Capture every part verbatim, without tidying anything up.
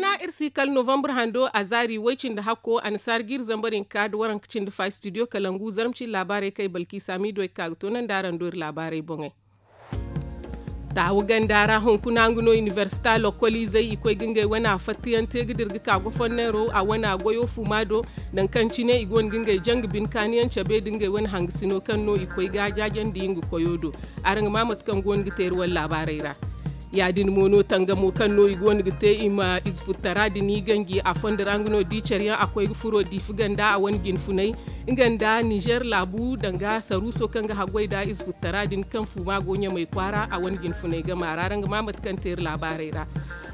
Na iri si kala novambar hando a zaari way cindi hakko a na saara ga iri zambar hinka nda waranka cindi fa studio kalangu zarma cindi laabaarey kaŋ ay balki saamiido ay ga ka ga toonandi araŋ do iri laabaarey boŋey. Taawu ganda ra hunkuna nga no inibersita lokkoliizey i koy ga ngey wane a fattayaŋ te ga dira ga ka goforneero a wane a goyo fuuma do. Nangu kaŋ cine i go no ga ngey janga bine kaaniyaŋ cabe nda ngey wane hangasino kaŋ no i koy ga jaajandi nga koyo do. Araŋ ga ma mate kaŋ go no ga te iri wane laabaarey ra. Ya- din mo no tangamo kaŋ no i go no ga te i ma ize futtara din i ganji a fondo ra nga no di care yaŋ a koy ga furo diifa ganda a wane jinfunay nga nda nizer laabu danga saruuso kaŋ ga haggoy nda ize futtara din kaŋ fuuma go ɲamay kwaara a wane jinfunay gama ra araŋ ga ma mate kaŋ te iri laabaarey ra.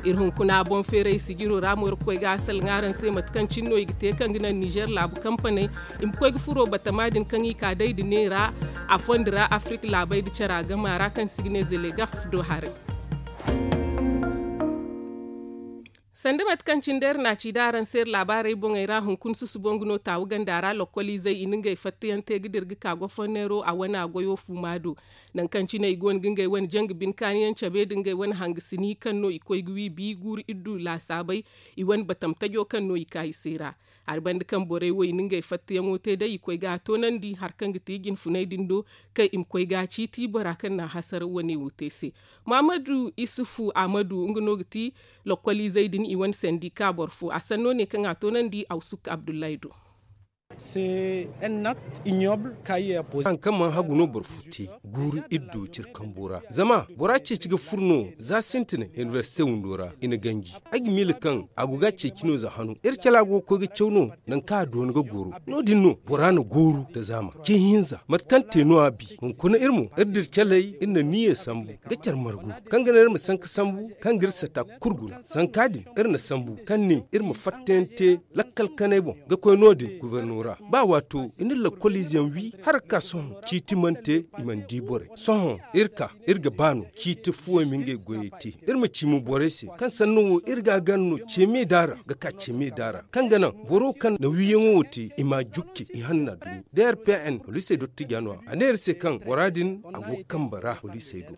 Iri hunkuna boŋ feeray sijiro ra mo iri ga koy ga a salaŋ araŋ se mate kaŋ cine no i ga te kaŋ ga naŋ nizer laabu kampaney i ma koy ga furo batama din kaŋ i ka day nda neera a fondo ra afirika laabey nda cara gama ra kaŋ se i ga ne zelegaf do haray. Sanda mate kaŋ cine day iri na a ci da araŋ se iri laabaarey boŋey ra hunkuna susubo nga no taawu ganda ra lokkoliizey i na ngey fattayaŋ te ga dira ga ka goforneero a wane a goyo fuuma do. Nangu kaŋ cine i go no ga ngey wane janga bine kaaniyaŋ cabe nda ngey wane hangasini kaŋ no i koy ga wi bi guuru iddu laasaabey i wane batam tajo kaŋ no i ka i se ra. Hari banda kaŋ borey wo i na ngey fattayaŋo te day i koy ga a toonandi hari kaŋ ga ti jinfunay din do kaŋ i ma koy ga a ciiti bora kaŋ na a hasaraw wane wo te se. Muhammadu isufu ahmadu nga no ga ti lokkoliizey din i wane sandika boro fo a sanno ne kaŋ a toonandi awsuk abdullahi do. Haŋ kaŋ mana hagu no boro fo te guuru iddu cire kambo ra zama bora ceeci ga furo no za sintinay inibersite windo ra i na ganji. Ay ga miila kaŋ a go ga a ceeci no za hano iri cala go ga koy ga caw no nangu kaŋ a doona ga goro. No- din no bora na gooru nda zaama ce hinza mate kaŋ te no a bi. Hunkuna iri mo iri dira caley iri na niyyey sambu ga care margu kaŋ ga naŋ iri ma sanka sambu kaŋ ga iri sata kulu guna sanka din iri na sambu kaŋ ne iri ma fattayaŋ te lakkal kanay boŋ ga koy no- din guberno ra. Ba waato i na lakkoliize yaŋ wi hala ga ka sohõ ciiti mana te i mana di borey sohõ iri ka iri ga ba no ciiti fuwey ma ngey goyey te. Iri ma ci mo borey se kaŋ sanno wo iri ga a gana no ce me daara ga ka ce me daara kaŋ ga naŋ boro kaŋ na wiyaŋo wo te i ma a jukke i hanna dumi. Drpn poliisey dottijaano a ne iri se kaŋ bora din a go ga kambe ra poliisey do.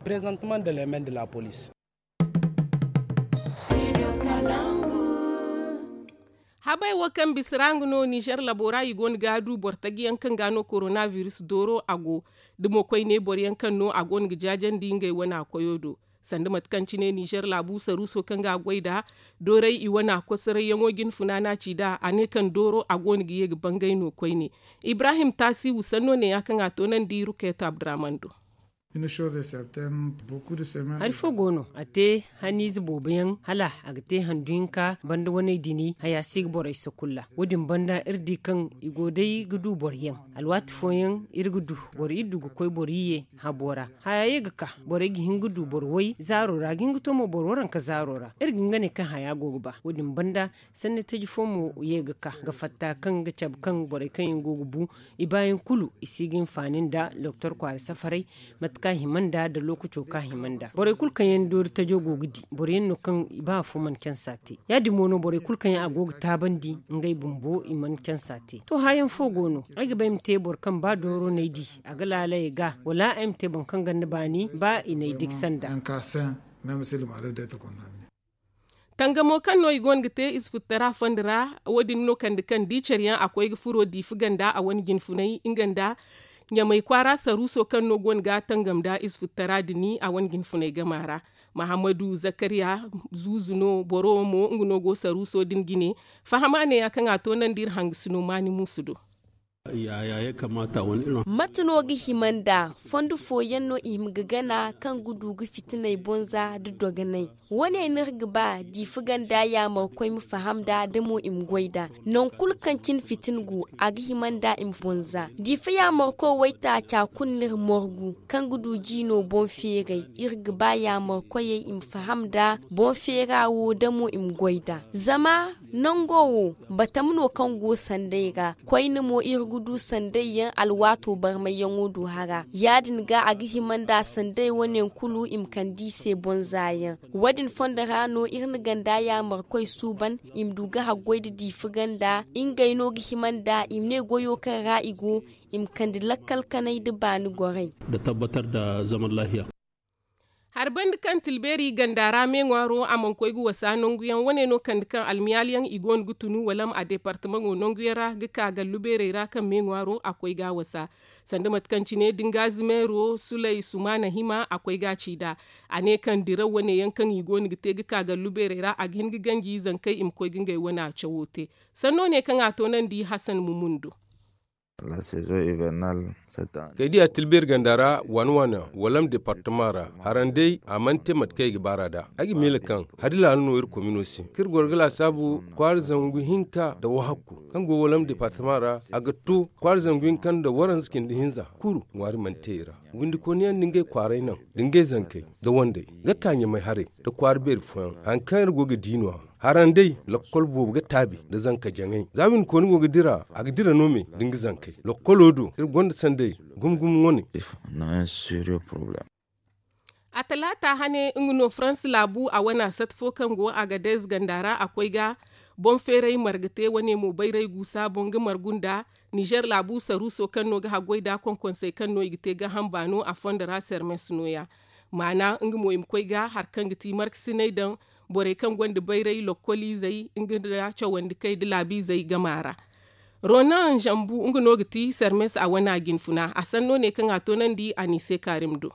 Habey wo kaŋ bisa ra nga no nizer labo ra i go no ga du boro taji yaŋ kaŋ ga no korona biris dooro a go da mo koyne boro yaŋ kaŋ no a go no ga jaajandi ngey wane a koyo do. Sanda mate kaŋ cine nizer laabu saruuso kaŋ ga a goy nd'a dooray i wane a kosoray yaŋo jine funaana ci nd'a a ne kaŋ dooro a go no ga ye ga bangay no koyne. Ibrahim taasiwu sanno ne ya kaŋ a toonandi rukeeto abdurrahman do. Hari fo go no a te hanniize boobo yaŋ hala a ga te handu hinka banda waney dini haya si ga borey sakulla wo- din banda iri di kaŋ i go day ga du boro yaŋ. Alwaati fooyaŋ iri ga du boro iddu ga koy boro iyye habo ra haya ye ga ka borey ga hin ga du boro way zaaro ra ga hin ga to mo boro waranka zaaro ra iri ga hin ga ne kaŋ haya go ga ba wo- din banda. Sanni taji fo mo ye ga ka ga fatta kaŋ ga cabe kaŋ borey kaŋ yaŋ go ga bu i baayaŋ kulu i si ga hinfaani nda doktor kwaara safaray mate kaŋ a hima nd'a nda lookaco kaŋ a hima nd'a borey kulu kaŋ yaŋ doori tajo go ga di boro yaŋ no kaŋ i ba afo mana cansa te. Ya- din mo no borey kulu kaŋ yaŋ a go ga taabandi ngey bumbo i mana cansa te to haayaŋ fo go no ay ga ba ay ma te boro kaŋ ba dooro no ay di a ga laalay ay ga wala ay ma te boro kaŋ ganda baani ba i n'ay diksa nd'a. Tangamo kaŋ no i go no ga te ize futtara fondo ra wo- din no kande kaŋ di care yaŋ a koy ga furo diifa ganda a wane jinfunay nga nda ɲamay kwaara saruuso kaŋ no go no ga tangam nda ize futtara din a wane jinfunay gama ra. Mahammadu zakariya zuuzu no boro mo nga no go saruuso din jine. Fahama ne ya kaŋ a toonandi iri hangasino maani muusu do. Mate no ga hima nd'a fondo fooyaŋ no i hima ga gana kaŋ ga du ga fitiney bonza nda dogonay? Wo- ne no iri ga ba diifa ganda yaamarkoy ma faham nd'a da mo i ma goy nd'a. Nangu kulu kaŋ cine fitina go a ga hima nd'a i ma bonza diifa yaamarkoy waytaaca kulu no iri morgu kaŋ ga du jiino boŋ feeray. Iri ga ba yaamarkoyey i ma faham nd'a boŋ feera wo da mo i ma goy nd'a zama nango wo batama no kaŋ go sanday ra. Koyne mo iri ga du sanday yaŋ alwaato barmayyaŋo du hara ya- din ga a ga hima nda sanday wane yaŋ kulu i ma kande i se bonza yaŋ. Wo- din fondo ra no iri na ganda yaamarkoy suuban i ma du ga haggoy nda diifa ganda ngey no ga hima nda i ma ne goyo kaŋ ra i go i ma kande lakkal kanay nda baani goray. Hari bandi kaŋ tilbeeri ganda ra me ŋwaaro a mana koy ga wasa nangu yaŋ wane no kande kaŋ almiyaali yaŋ i go no ga tunu walam a deepartamaŋo nangu yaŋ ra ga ka gallu beerey ra kaŋ me ŋwaaro a koy ga a wasa. Sanda mate kaŋ cine da nga zimeero sulay sumaana hima a koy ga a ci nd'a. A ne kaŋ diraw wane yaŋ kaŋ i go no ga te ga ka gallu beerey ra a ga hin ga ganji zankey i ma koy ga ngey wane a cawo te. Sanno ne kaŋ a toonandi hasan mumun do. Kay diya tilbeeri ganda ra waana waana walam deepartama ra haran day a mana te mate kaŋ i ga baara nd'a. Ay ga miila kaŋ hari laala no iri komino se kaŋ iri goro ga laasaabu kwaara zangu hinka nda wahakku kaŋ go walam deepartama ra a ga to kwaara zangu hinka nda waranza cindi hinza kulu ŋwaari mana te i ra. Windikooni yaŋ nda ngey kwaaray naŋ nda ngey zankey nda wandey ga ka ɲamay haray nda kwaara beeri fooyaŋ hari kaŋ iri go ga di no- ya. Haran day lakkol boobo ga taabi nda zanka jaŋay za windikooni go ga dira a ga dira no me nda nga zankey lakkolo do iri gonda sanday gumo gumo wane. A talaata hane nga no farans laabu a wane a sat fo kaŋ go agadez ganda ra a koy ga boŋ feeray marga te wane mo bayray guusa boŋ ga margu nda nizer laabu saruuso kaŋ no ga haggoy nd'a konkonsey kaŋ no i ga te gaaham baano a fondo ra sermes nooya. Maana nga mo i ma koy ga hari kaŋ ga ti markasiney daŋ borey kaŋ gonda bayray lokkoliizey nga nda cawandikey nda laabiizey gama ra. Ronan zambu nga no ga ti sermes a wane a jinfuna a sanno ne kaŋ a toonandi a n'i se kaarim do.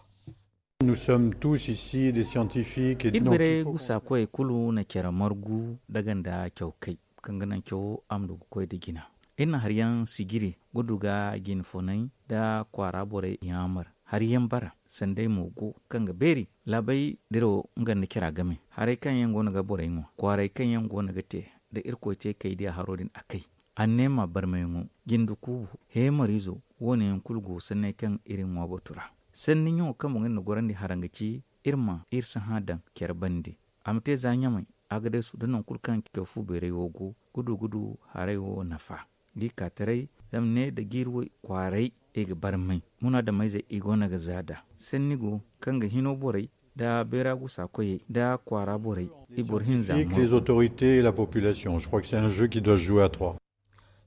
Iri birey gusa koyey kulu na care margu daga nda cawkey kaŋ ga naŋ cawo a ma du ga koy nda jina. Iri na hari yaŋ sijiri ga du ga jinfunay nda kwaara borey yaamar hari yaŋ bara sanday mo go kaŋ ga beeri laabey dirawo nga nda cara game haray kaŋ yaŋ go no ga borey ŋwa kwaaray kaŋ yaŋ go no ga te nda irkoy te kay diya haro din a kay. Anneema barmayaŋo jinde kuubo heemariizo wo- ne yaŋ kulu go sanney kaŋ iri ŋwa batu ra. Sanni ɲaŋo kaŋ boŋ iri na gorandi haraŋ ga ci iri ma iri sahã daŋ care bande a ma te za ɲamay agadesu nda nangu kulu kaŋ caw fu beeray wo go ga du ga du haray wo nafa. Ga i ka taray zama ne nda jiiri woy kwaaray i ga barmay munaadameyzey i go no ga za nd'a. Sanni go kaŋ ga hino borey nda beera gusa koyey nda kwaara borey i boro hinza.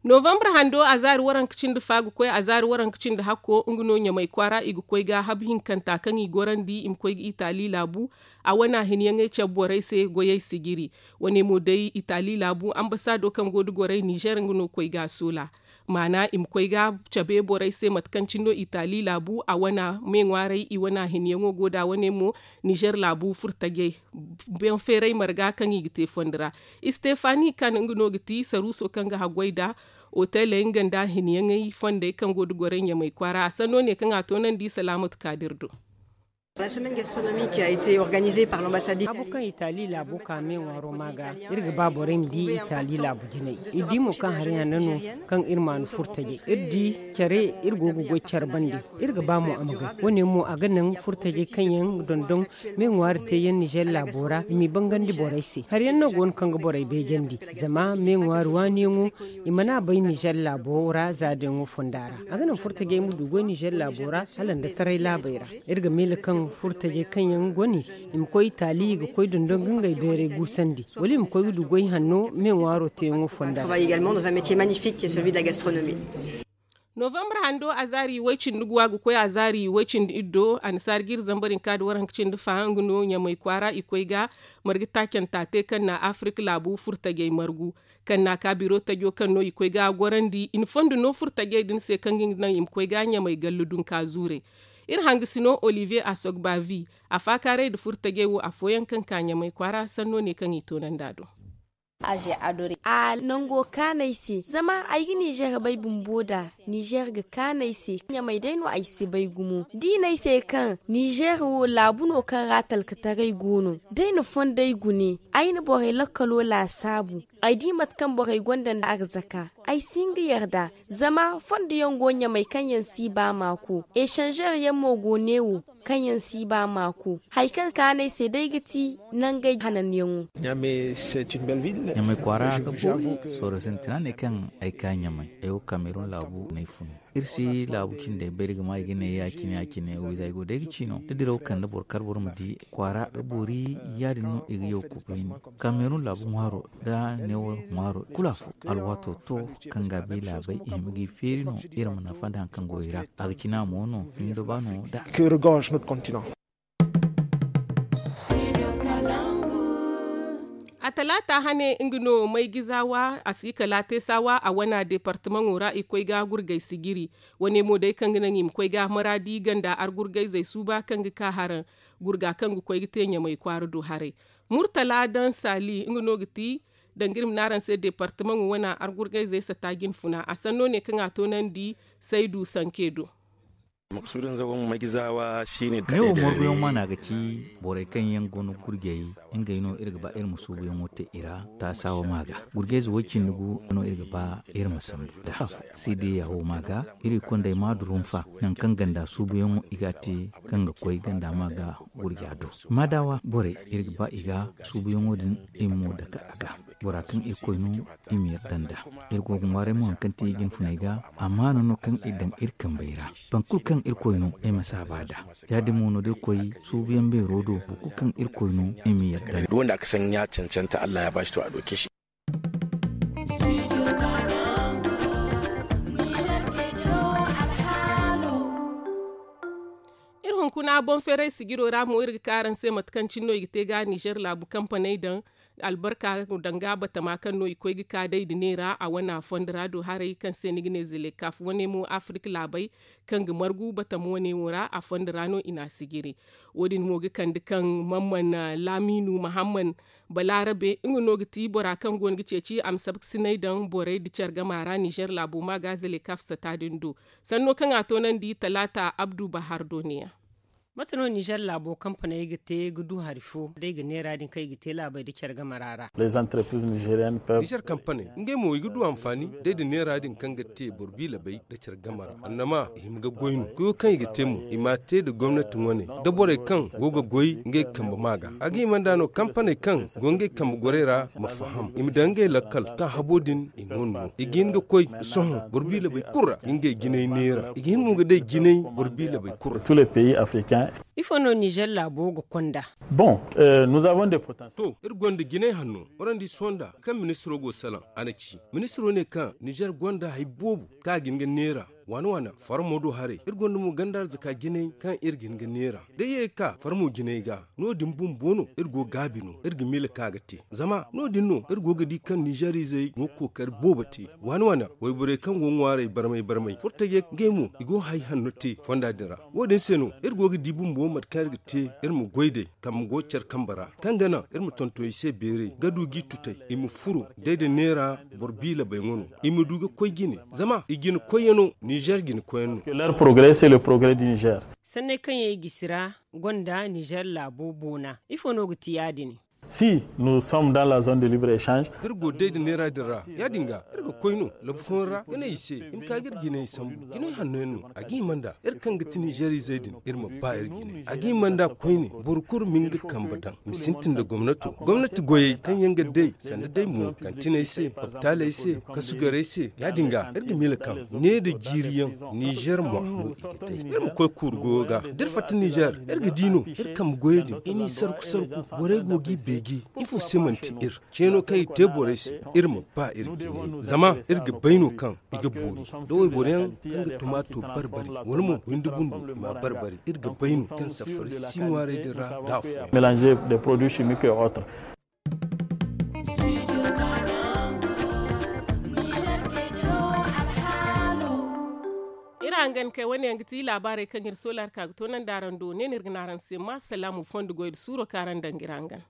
Novambar hando a zaari waranka cindi fa ga koy a zaari waranka cindi hakko nga no ɲamay kwaara i ga koy ga habu hinkanta kaŋ i gorandi i ma koy ga itaali laabu. A wane a hinyaŋey cabe borey se goyey sijiri. Wane mo day itaali laabu ambasaado kaŋ go nda gorey nizer nga no koy ga a soola. Maana i ma koy ga cabe borey se mate kaŋ cine no itaali laabu a wane me ŋwaaray i wane a hinyaŋo go nd'a wane mo nizer laabu furtajey. Boŋ feeray marga kaŋ i ga te fondo ra. Istefani kan nga no ga ti saruuso kaŋ ga haggoy nd'a oteley nga nda a hinyaŋey fondey kaŋ go nda gorey ɲamay kwaara a sanno ne kaŋ a toonandi salaamatu kaadir do. Haabu kaŋ itaali laabo ka me ŋwaaro ma ga iri ga ba borey ma di itaali laabu jinay. Iri di mo kaŋ hari hane no kaŋ iri maanu furtajey iri di care iri go ga goy care bande. Iri ga ba mo a ma gay wane mo a ga naŋ furtajey kaŋ yaŋ dondon me ŋwaari te yaŋ nizer laabo ra i m'i bangandi borey se hari yaŋ no go no kaŋ ga borey beejandi. Zama me ŋwaari waaniyaŋo i mana bay nizer laabo ra za da yaŋo fonda ra a ga naŋ furtajey ma du goy nizer laabo ra hala nda taray laabey ra. Iri ga miila kaŋ furtajey kaŋ yaŋ gone i ma koy itaali i ga koy dondon ga ngey beeray guusandi wala i ma koy ga du goy hanno me ŋwaaro teeyaŋo fonda ra. Novambar hando a zaari way-cindi guwa ga koy a zaari way-cindi iddo annasaara ga iri zambar hinka nda waranka cindi fa nga no ɲamay kwaara i koy ga marga taacanta te kaŋ na afirik laabu furtajey margu kaŋ na a ka biro tajo kaŋ no i koy ga a gorandi i na fondo no furtajey din se kaŋ ga nga naŋ i ma koy ga ɲamay gallu dunka zuurey. Iri hangasino olivier asogbavi a faakaaray nda furtajey wo afooyaŋ kaŋ ka ɲamay kwaara sanno ne kaŋ i toonandi a do. A nango kaanu ay se zama ay ga nizer bay bumbo nd'a. Nizer ga kaanu ay se ɲamay day no ay si bay gumo da i ne ay se kaŋ nizer wo laabu no kaŋ ra talkataray go no da ay na fondey gune ay na borey lakkalo laasaabu. Ay di mate kaŋ borey gonda nda arzaka ay si hin ga yarda. Zama fondo yaŋ go ɲamay kaŋ yaŋ si ba maako esanzer yaŋ mo go neewo kaŋ yaŋ si ba maako. Hari kaŋ kaanu ay se day ga ti nangey hananyaŋo. Ɲamay kwaara ga boori. Sooro sintina ne kaŋ ay ka ɲamay ay wo kamerun laabu no ay fun. Iri si laabu cindey bay iri ga ma i ga ne ya- cine ya- cine wiiza ay go day ga ci no da diraw kande boro kar boro ma di kwaara ga boori. Ya- din no i ga yaw kubayni kamerun laabu ŋwaaro da neewo ŋwaaro kulu afo. Alwaato to kaŋ ga bay laabey i hima ga i feeri no iri ma nafa nda hari kaŋ go i ra. A ga cina mo no findo ba no da. Talaata hane nga no maygizawa a si kala teesawa a wana deepartamaŋo ra i koy ga gurgay sijiri. Wane mo day kaŋ ga naŋ i ma koy ga maraadi ganda argurgayzey suuba kaŋ ga ka haraŋ gurga kaŋ ga koy ga te ɲamay kwaara do haray. Murtala daŋ saali nga no ga ti daŋ ga iri ma ne araŋ se deepartamaŋo wana argurgayzey sata jinfuna a sanno ne kaŋ a toonandi saydu sanke do. Neewo morguyaŋ maana ga ci borey kaŋ yaŋ go no gurjey. Ngey no iri ga ba iri ma suubuyaŋo te i ra. Taasawa ma ga gurjayze way-cindi gu no iri ga ba iri ma sambu da haf. Seedeya wo ma ga iri kondey ma du rumfa nangu kaŋ ganda suubuyaŋo i ga a te kaŋ ga koy ganda ma ga gurja do. Maadawa borey iri ga ba i ga suubuyaŋo din i ma mo dake a ga. Bora kaŋ irkoy no i ma yadda nd'a. Iri go ga ŋwaaray mo hari kaŋ ti jinfuney ga. Amaana no kaŋ i daŋ iri kambey ra. Boro kulu kaŋ irkoy no ay ma saaba nd'a. Ya-din mo no da iri koy suubuyaŋ beero do boro kulu kaŋ irkoy no i ma yadda nd'a. Wanda aka saŋ ɲa cancanta allah ya baasi to a doke se. Iri hunkuna boŋ feeray sijiro ra mo iri ga ka araŋ se mate kaŋ cine no i ga te ga nizer laabu kampaney daŋ albarka danga batama kaŋ no i koy ga ka day nda neera a wane a fondo ra do haray kaŋ se ni ga ne zelekaf wane mo afirik laabey kaŋ ga margu batama wane wo ra a fondo ra no i n'a sijiri. Wo- din mo ga kande kaŋ mamman laamiinu mahamman balaarabe nga no ga ti bora kaŋ go no ga ceeci a ma sabkasinay daŋ borey nda care gama ra nizer laabo ma ga zelekaf sata din do. Sanno kaŋ a toonandi talaata abdu bahar do ne- ya. Mate no nizer laabo kampaney ga te ga du hari fo day ga neera din kaŋ i ga te laabey nda care game ra ra. Nizer kampaney ngey mo i ga du anfaani day nda neera din kaŋ ga te boro biilabey nda care game ra annama i hima ga goy no koyo kaŋ i ga te mo i m'a te nda gomnati wane nda borey kaŋ go ga goy ngey kambe ma ga a ga hima nd'a no kampaney kaŋ go ngey kambe gorey ra ma faham i ma daŋ ngey lakkal kaŋ habo din i ŋwa no i ga hin ga koy sohõ boro biilabey kulu ra ga ngey jinay neera i ga hin mo ga day jinay boro biilabey kulu ra. Ifo no nizer laabo ga konda? To iri gonda jinay hanno. Warandi sohõ nda kaŋ ministiro go salaŋ a na ci ministiro ne kaŋ nizer gonda hari boobo kaŋ a ga hin ga neera waana waana farmo do haray iri gonda mo ganda arzaka jinay kaŋ iri ga hin ga neera da ye ga ka farmo jinay ga. No- din bumbo no iri go gaabi no iri ga miila kaŋ a ga te zama no- din no iri go ga di kaŋ nizer izey go ga kookari boobo te waana waana wayborey kaŋ go ga ŋwaaray barmay barmay furtajey ngey mo i go ga hari hanno te fonda din ra. Wo- din se no iri go ga di bumbo mate kaŋ iri ga te iri ma goy day kambe go care kambe ra kaŋ ga naŋ iri ma tonton i se beeray ga du g'i tutay i ma furo day nda neera boro biilabey ŋwa no i ma du ga koy jine zama i jine koyyaŋo nizer jine koyyaŋo. Sanney kaŋ yaŋ i gisi ra gonda nizer laabo boona ifo no ga ti ya- din? Si nous sommes dans la zone de libre echange. Da iri go day nda neera din ra ya- din ga iri ga koy no labu fooyaŋ ra ga ne i se i ma ka ga iri jinay sambu jinay hanno yaŋ no a ga hima nd'a iri kaŋ ga ti nizer izey din iri ma ba iri jinay a ga hima nd'a koyne boro kulu ma nga kambe daŋ i ma sintin nda gomnato gomnati goyey kaŋ yaŋ ga day sanda day mo kantiney se hopitaaley se kasugarey se ya- din ga iri ga miila kaŋ ne nda jiiri yaŋ nizer mo no i ga day iri ma koy kuuru goyo ga da iri fatta nizer iri ga di no iri kambe goyey din i n'i sarku sarku borey go g'i beeji ifo se manti iri ceeno kaŋ i te borey se iri ma ba iri jinay zama iri ga bay no kaŋ i ga boori da wayboro yaŋ kaŋ ga tumaato barbari wala mo windi bundu i m'a barbari iri ga bay no kaŋ safari si ŋwaaray din ra da afooyaŋ. Mélanger des produits chimiques et autres. Iri hangan kay wane yaŋ ga ti laabaarey kaŋ iri soola hari ka ga toonandi araŋ do ne no iri ga ne araŋ se ma salaamu fondo goy nda suuro kaŋ araŋ daŋ ga iri hangan.